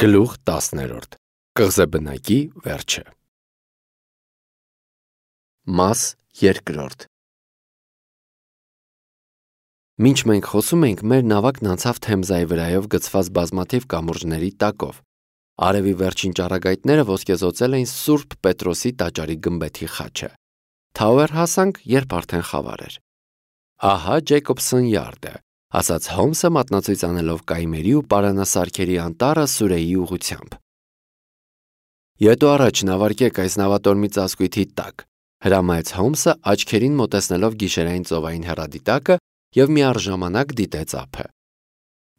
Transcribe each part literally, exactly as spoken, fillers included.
Գլուխ տասներորդ. Կղզեբնակի վերջը։ Մաս երկրորդ։ Մինչ մենք խոսում ենք, մեր նավակն անցավ Թեմզայի վրայով գցված բազմաթիվ կամուրջների տակով։ Արևի վերջին ճառագայթները ոսկեզօծել էին Սուրբ Պետրոսի տաճարի գմբեթի խաչը։ Թաուեր հասանք, երբ արդեն խավար էր։ Ահա Ջեյկոբսոն Յարդը, ասաց Հոլմսը մատնացույց անելով կայմերի ու պարանասարքերի անտառը Սուրեի ուղղությամբ։ Ետո առաջ նավարկեք այս նավատորմի ծածկույթի տակ, հրամայեց Հոլմսը աչքերին մոտեցնելով գիշերային ծովային հեռադիտակը և միառժամանակ դիտեց ափը։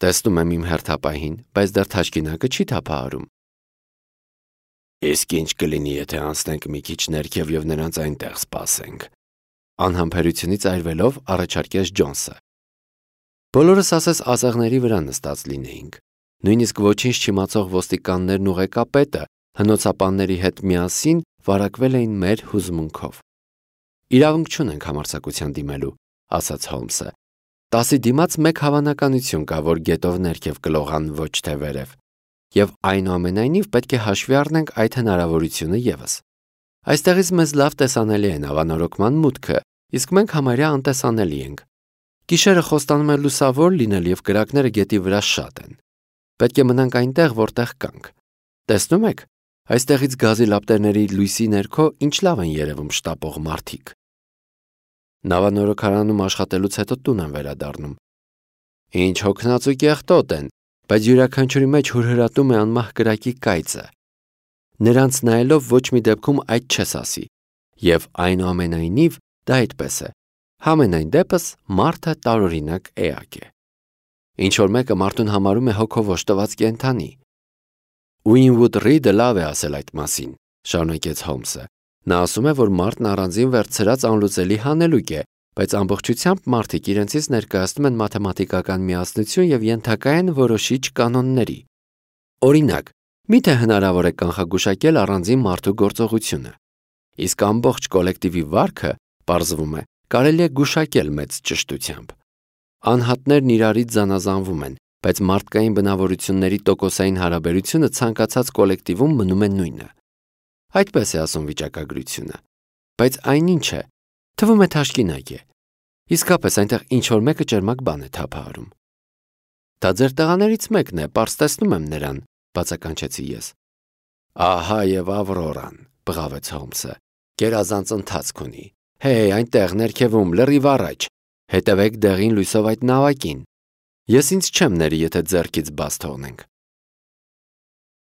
Տեսնում եմ իմ հերթապահին, բայց դեռ թաշկինակը չի թափահարում։ Իսկ ինչ կլինի, եթե անցնենք մի քիչ ներքև և նրանց այնտեղ սպասենք, անհամբերությունից այրվելով առաջարկեց Ջոնսը։ Բոլորս ասես ասեղների վրա նստած լինեինք։ Նույնիսկ ոչինչ չիմացող ոստիկաններն ու ղեկապետը հնոցապանների հետ միասին վարակվել էին մեր հուզմունքով։ Իրավունք չունենք համարձակության դիմելու, ասաց Հոլմսը։ Տասի դիմաց մեկ հավանականություն կա, որ գետով ներքև կլողան ոչ թե վերև, և այնուամենայնիվ պետք է հաշվի առնենք այդ հնարավորությունը ևս։ Այստեղից մեզ լավ տեսանելի է նավանորոգման մուտքը, իսկ մենք համարյա անտեսանելի ենք։ Գիշերը խոստանում է լուսավոր լինել և կրակները գետի վրա շատ են։ Պետք է մնանք այնտեղ, որտեղ կանք։ Տեսնում եք, այստեղից գազի լապտերների լույսի ներքո ինչ լավ են երևում շտապող մարդիկ։ Նավանորոգարանում աշխատելուց հետո տուն եմ վերադառնում։ Ինչ հոգնածու կեղտոտ են, բայց յուրաքանչյուրի մեջ հուրհրատում է անմահ կրակի կայծը։ Նրանց նայելով ոչ մի դեպքում այդ չես ասի, և այնուամենայնիվ դա այդպես է։ Համենայն դեպս մարդը տարօրինակ էակ է։ Ինչ-որ մեկը մարդուն համարում է հոգով օժտված կենդանի։ Ուինվուդ Ռիդը լավ է ասել այդ մասին, շարունակեց Հոլմսը։ Նա ասում է, որ մարդն առանձին վերցրած անլուծելի հանելուկ է, բայց ամբողջությամբ մարդիկ իրենցից ներկայացնում են մաթեմատիկական միասնություն և ենթակա են որոշիչ կանոնների։ Օրինակ, միթե հնարավոր է կանխագուշակել առանձին մարդու գործողությունը։ Իսկ ամբողջ կոլեկտիվի վարքը, պարզվում է, կարելի է գուշակել մեծ ճշտությամբ։ Անհատներն իրարից զանազանվում են, բայց մարդկային բնավորությունների տոկոսային հարաբերությունը ցանկացած կոլեկտիվում մնում է նույնը։ Այդպես է ասում վիճակագրությունը։ Բայց այնինչ է, թվում է թաշկինակ է։ Իսկապես այնտեղ ինչ-որ մեկը ճերմակ բան է թափահարում։ Դա ձեր տղաներից մեկն է, պարզ տեսնում եմ նրան, բացականչեցի ես։ Ահա և Ավրորան, բղավեց Հոլմսը, գերազանց ընթացք ունի։ Հեյ, այնտեղ ներքևում, լրիվ առաջ, հետևեք դեղին լույսով այդ նավակին։ Ես ինձ չեմ ների, եթե ձեռքից բաց թողնենք։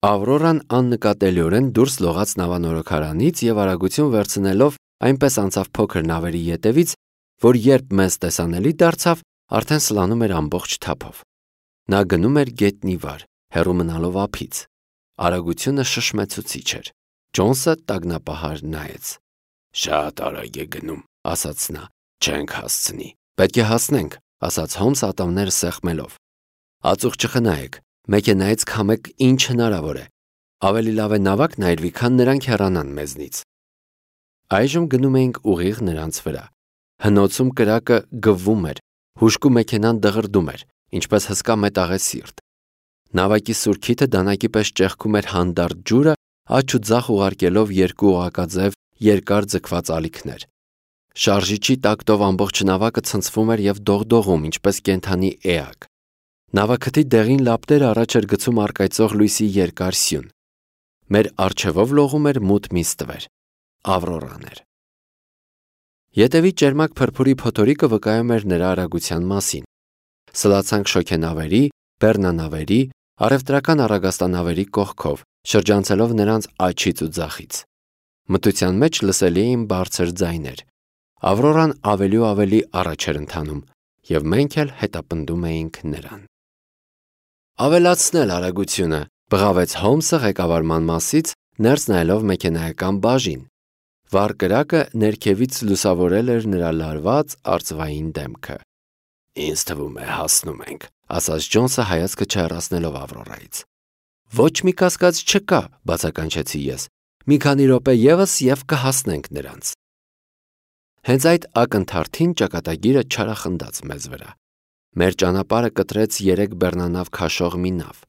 Ավրորան աննկատելիորեն դուրս լողաց նավանորոգարանից և արագություն վերցնելով այնպես անցավ փոքր նավերի ետևից, որ երբ մեզ տեսանելի դարձավ, արդեն սլանում էր ամբողջ թափով։ Նա գնում էր գետնի վար, հեռու մնալով ափից։ Արագությունը շշմեցուցիչ էր։ Ջոնսը տագնապահար նայեց։ Շատ արագ է գնում, ասաց նա, չենք հասցնի։ Պետք է հասնենք, ասաց Հոլմսը ատամները սեղմելով։ Ածուխ չխնայեք, մեքենայից քամեք ինչ հնարավոր է։ Ավելի լավ է նավակն այրվի, քան նրանք հեռանան մեզնից։ Այժմ գնում էինք ուղիղ նրանց վրա։ Հնոցում կրակը գվվում էր, հուժկու մեքենան դղրդում էր, ինչպես հսկա մետաղեսիրտ։ Նավակի սուրքիթը դանակի պես ճեղքում էր հանդարտ ջուրը, աջ ու ձախ ուղարկելով երկու օղակաձև երկար ձգված ալիքներ։ Շարժիչի տակտով ամբողջ նավակը ցնցվում էր և դողդողում, ինչպես կենդանի էակ։ Նավակթի դեղին լապտերը առաջ էր գցում առկայծող լույսի երկար սյուն։ Մեր առջևով լողում էր մութ մի ստվեր։ Ավրորան էր։ Ետևի ճերմակ փրփուրի փոթորիկը վկայում էր նրա արագության մասին։ Սլացանք շոգենավերի, բեռնանավերի, առևտրական առագաստանավերի կողքով, շրջանցելով նրանց աջից ու ձախից։ Մթության մեջ լսելի էին բարձր ձայներ։ Ավրորան ավելի ու ավելի առաջ էր ընթանում, և մենք էլ հետապնդում էինք նրան։ Ավելացնել արագությունը, բղավեց Հոլմսը ղեկավարման մասից, ներս նայելով մեքենայական բաժին։ Վառ կրակը ներքևից լուսավորել էր նրա լարված արծվային դեմքը։ Ինձ թվում է հասնում ենք, ասաց Ջոնսը հայացքը չհեռացնելով Ավրորայից։ Ոչ մի կասկած չկա, բացականչեցի ես։ Մի քանի րոպե ևս և կհասնենք նրանց։ Հենց այդ ակնթարթին ճակատագիրը չարախնդաց մեզ վրա։ Մեր ճանապարհը կտրեց երեք բեռնանավ քաշող մի նավ։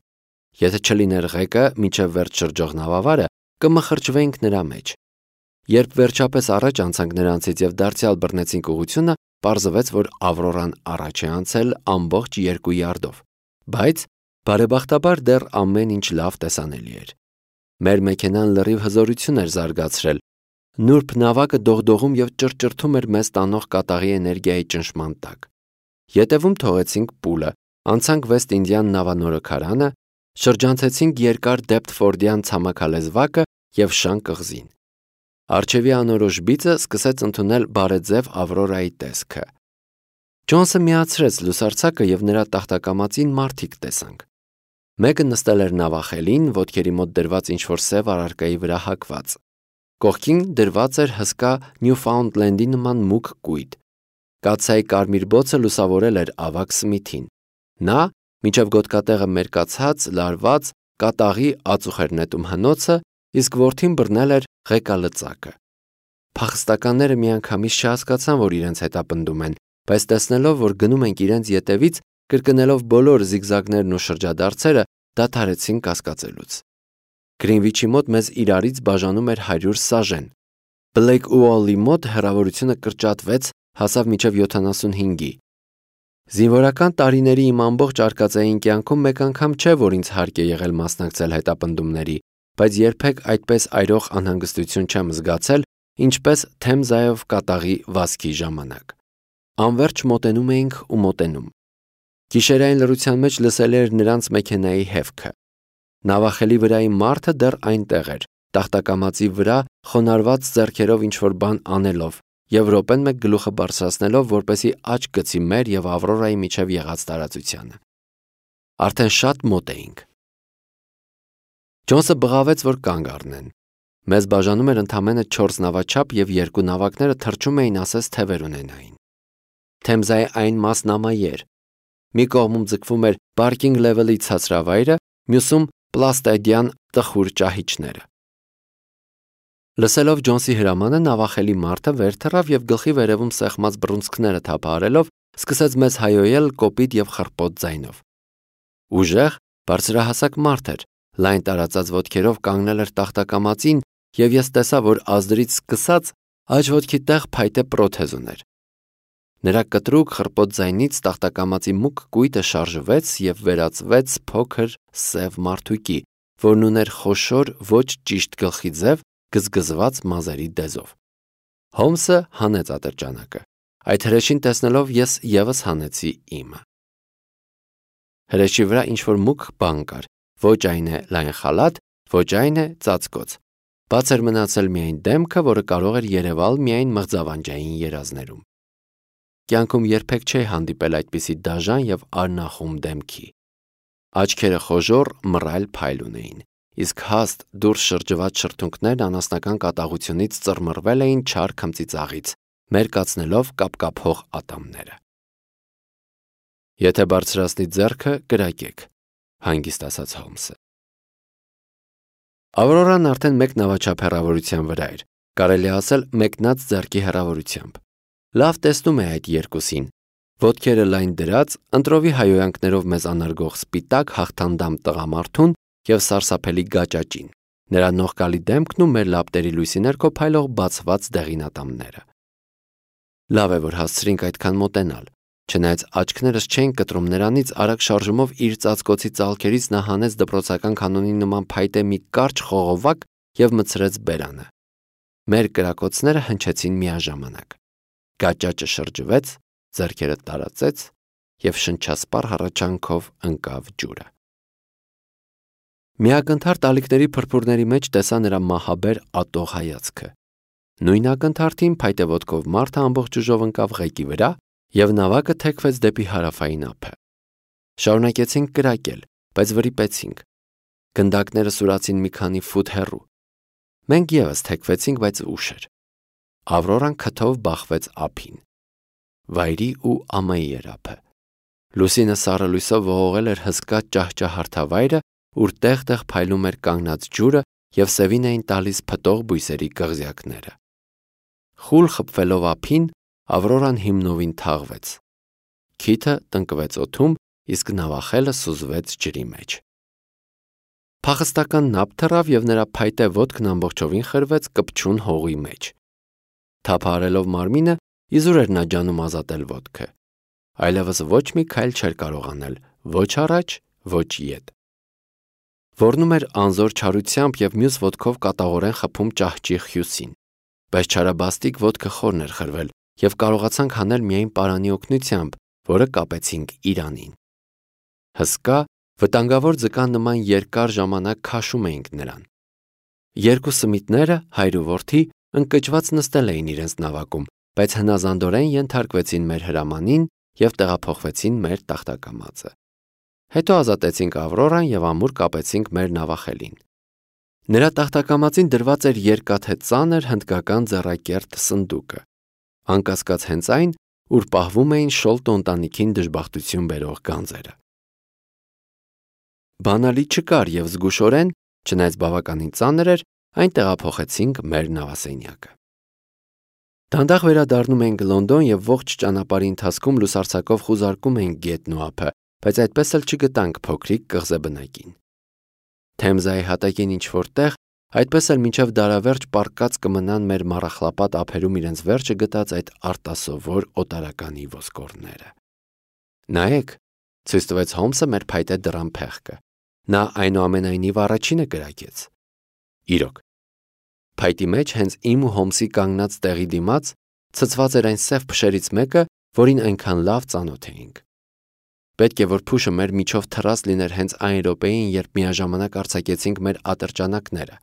Եթե չլիներ ղեկը մինչև վերջ շրջող նավավարը, կմխրճվեինք նրա մեջ։ Երբ վերջապես առաջ անցանք նրանցից եւ դարձյալ բռնեցինք ուղությունը, պարզվեց, որ Ավրորան առաջ է անցել ամբողջ երկու յարդով, բայց բարեբախտաբար դեռ ամեն ինչ լավ տեսանելի էր։ Մեր մեքենան լրիվ հզորություն էր զարգացրել։ Նուրբ նավակը դողդողում եւ ճռճռթում էր մեզ տանող կատաղի էներգիայի ճնշման տակ։ Ետևում թողեցինք պուլը, անցանք Վեստ Ինդիան նավանորոգարանը, շրջանցեցինք երկար Դեպտֆորդյան ցամաքալեզվակը եւ Շան կղզին։ Արջևի անորոշ բիծը սկսեց ընդունել բարեձև Ավրորայի տեսքը։ Ջոնսը միացրեց լուսարձակը եւ նրա տախտակամածին մարդիկ տեսանք։ Մեկը նստել էր նավախելին, ոտքերի մոտ դրված ինչ-որ սև առարկայի վրա հագված։ Կողքին դրված էր հսկա Նյուֆաունդլենդի նման մուգ կույտ։ Կաթսայի կարմիր բոցը լուսավորել էր ավագ Սմիթին։ Նա, մինչև գոտկատեղը մերկացած, լարված, կատաղի ածուխ էր նետում հնոցը, իսկ որդին բռնել էր ղեկալծակը։ Փախստականները միանգամից չհասկացան, որ իրենց հետապնդում են, բայց տեսնելով, որ գնում ենք իրենց ետևից, կրկնելով բոլոր զիգզագներն ու շրջադարձերը, դադարեցին կասկածելուց։ Գրինվիչի մոտ մեզ իրարից բաժանում էր հարյուր սաժեն։ Բլեք Ուոլի մոտ հեռավորությունը կրճատվեց, հասավ մինչև յոթանասունհինգի։ Զինվորական տարիների իմ ամբողջ արկածային կյանքում մեկ անգամ չէ, որ ինձ հարկ է եղել մասնակցել հետապնդումների, բայց երբեք այդպես այրող անհանգստություն չեմ զգացել, ինչպես Թեմզայով կատաղի վազքի ժամանակ։ Անվերջ մոտենում էինք ու մոտենում։ Գիշերային լռության մեջ լսելի էր նրանց մեքենայի հևքը։ Նավախելի վրայի մարդը դեռ այնտեղ էր, տախտակամածի վրա խոնարհված ձեռքերով ինչ-որ բան անելով եւ րոպեն մեկ գլուխը բարձրացնելով, որպեսի աչք գցի մեր եւ Ավրորայի միջև եղած տարածությանը։ Արդեն շատ մոտ էինք։ Ջոնսը բղավեց, որ կանգ առնեն։ Մեզ բաժանում էր ընդամենը չորս նավաչափ եւ երկու նավակները թռչում էին ասես թևեր ունենային։ Թեմզայի այն մասն ամայի էր։ Մի կողմում ձգվում էր պարկինգ լևելի ցածրավայրը, մյուսում պլաստեդյան տխուր ճահիճները։ Լսելով Ջոնսի հրամանը, նավախելի մարդը վեր թռավ եւ գլխի վերևում սեղմած բռունցքները թափահարելով սկսեց մեզ հայոյել կոպիտ եւ խռպոտ ձայնով։ Ուժեղ, բարձրահասակ մարդ էր, լայն տարածած ոտքերով կանգնել էր տախտակամածին եւ ես տեսա, որ ազդրից սկսած աջ ոտքի տեղ փայտե պրոթեզ ուներ։ Նրա կտրուկ խռպոտ ձայնից տախտակամածի մուգ կույտը շարժվեց եւ վերածվեց փոքր սև մարդուկի, որն ուներ խոշոր ոչ ճիշտ գլխի ձև, գզգզված մազերի դեզով։ Հոմսը հանեց ատրճանակը։ Այդ հրեշին տեսնելով ես եւս հանեցի իմը։ Հրեշի վրա ինչ-որ մուգ բան կար, ոչ այն է լայն խալաթ, ոչ այն է ծածկոց։ Բաց էր մնացել միայն դեմքը, որը կարող էր երևալ միայն մղձավանջային երազներում։ Կյանքում երբեք չէի հանդիպել այդպիսի դաժան եւ արնախում դեմքի։ Աչքերը խոժոռ մռայլ փայլ ունեին, իսկ հաստ դուրս շրջված շրթունքներն անասնական կատաղությունից ծռմռվել էին չար քմծիծաղից, մերկացնելով կապկափող ատամները։ Եթե բարձրացնի ձեռքը, կրակեք, հանգիստ ասաց Հոմսը։ Ավրորան արդեն մեկ նավաչափ հեռավորության վրա էր, կարելի ասել մեկնած ձեռքի հեռավորությամբ։ Լավ տեսնում է այդ երկուսին, ոտքերը լայն դրած, ընտրովի հայոյանքներով մեզ անարգող սպիտակ հաղթանդամ տղամարդուն եւ սարսափելի գաճաճին, նրա նողկալի դեմքն ու մեր լապտերի լույսի ներքո փայլող բացված դեղինատամները։ Լավ է, որ հասցրինք այդքան մոտենալ, չնայած աչքներս չէին կտրում նրանից, արագ շարժումով իր ծածկոցի ծալքերից նա հանեց դպրոցական կանոնի նման փայտե մի կարճ խողովակ եւ մցրեց բերանը։ Մեր կրակոցները հնչեցին միաժամանակ։ Գաճաճը շրջվեց, ձեռքերը տարածեց եւ շնչասպառ հառաչանքով ընկավ ջուրը։ Միակնթարթ ալիքների փրփուրների մեջ տեսա նրա մահաբեր ատող հայացքը։ Նույն ակնթարթին փայտե ոտքով մարդը ամբողջ ուժով ընկավ ղեկի վրա եւ նավակը թեքվեց դեպի հարավային ափը։ Շարունակեցինք կրակել, բայց վրիպեցինք։ Գնդակները սուրացին մի քանի ֆուտ հեռու։ Մենք եւս թեքվեցինք, բայց ուշ էր։ Ավրորան քթով բախվեց ափին։ Վայրի ու ամայի էր ափը։ Լուսինը սառը լույսով ողողել էր հսկա ճահճահարթավայրը, ուր տեղ-տեղ փայլում էր կանգնած ջուրը եւ սևին էին տալիս փտող բույսերի կղզյակները։ Խուլ խփվելով ափին, Ավրորան հիմնովին թաղվեց։ Քիթը տնկվեց օդում, իսկ նավախելը սուզվեց ջրի մեջ։ Փախստական նապ թռավ և նրա փայտե ոտքն ամբողջովին խրվեց կպչուն հողի մեջ։ Թափահարելով մարմինը, իզուր էր նա ջանում ազատել ոտքը։ Այլևս ոչ մի քայլ չէր կարող անել, ոչ առաջ, ոչ ետ։ Ոռնում էր անզոր չարությամբ և մյուս ոտքով կատաղորեն խփում ճահճի հյուսին, բայց չարաբաստիկ ոտքը խորն էր խրվել և կարողացանք հանել միայն պարանի օգնությամբ, որը կապեցինք իրանին։ Հսկա, վտանգավոր ձկան նման երկար ժամանակ քաշում էինք նրան։ Երկու սմիթները, հայր ու որդի, ընկճված նստել էին իրենց նավակում, բայց հնազանդորեն ենթարկվեցին մեր հրամանին և տեղափոխվեցին մեր տախտակամածը։ Հետո ազատեցինք Ավրորան և ամուր կապեցինք մեր նավախելին։ Նրա տախտակամածին դրված էր երկաթե ծանր հնդկական ձեռակերտ սնդուկը, անկասկած հենց այն, ուր պահվում էին Շոլտո ընտանիքին դժբախտություն բերող գանձերը։ Բանալի չկար և զգուշորեն, չնայած բավականին ծանր էր, այն տեղափոխեցինք մեր նավասենյակը։ Դանդաղ վերադառնում էինք Լոնդոն և ողջ ճանապարհի ընթացքում լուսարձակով խուզարկում էինք գետն ու ափը, բայց այդպես էլ չգտանք փոքրիկ կղզեբնակին։ Թեմզայի հատակին ինչ-որ տեղ, այդպես էլ մինչև դարավերջ պառկած կմնան մեր մառախլապատ ափերում իրենց վերջը գտած այդ արտասովոր օտարականի ոսկորները։ Նայեք, ցույց տվեց Հոլմսը մեր փայտե դռան փեղկը։ Նա այնուամենայնիվ առաջինը կրակեց։ Իրոք, փայտի մեջ հենց իմ ու Հոլմսի կանգնած տեղի դիմաց ցցված էր այն սև փշերից մեկը, որին այնքան լավ ծանոթ էինք։ Պետք է որ փուշը մեր միջով թռած լիներ հենց այն րոպեին, երբ միաժամանակ արձակեցինք մեր ատրճանակները։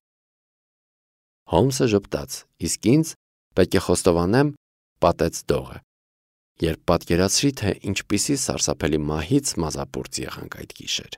Հոլմսը ժպտաց, իսկ ինձ, պետք է խոստովանեմ, պատեց դողը, երբ պատկերացրի, թե ինչպիսի սարսափելի մահից մազապուրծ եղանք այդ գիշեր։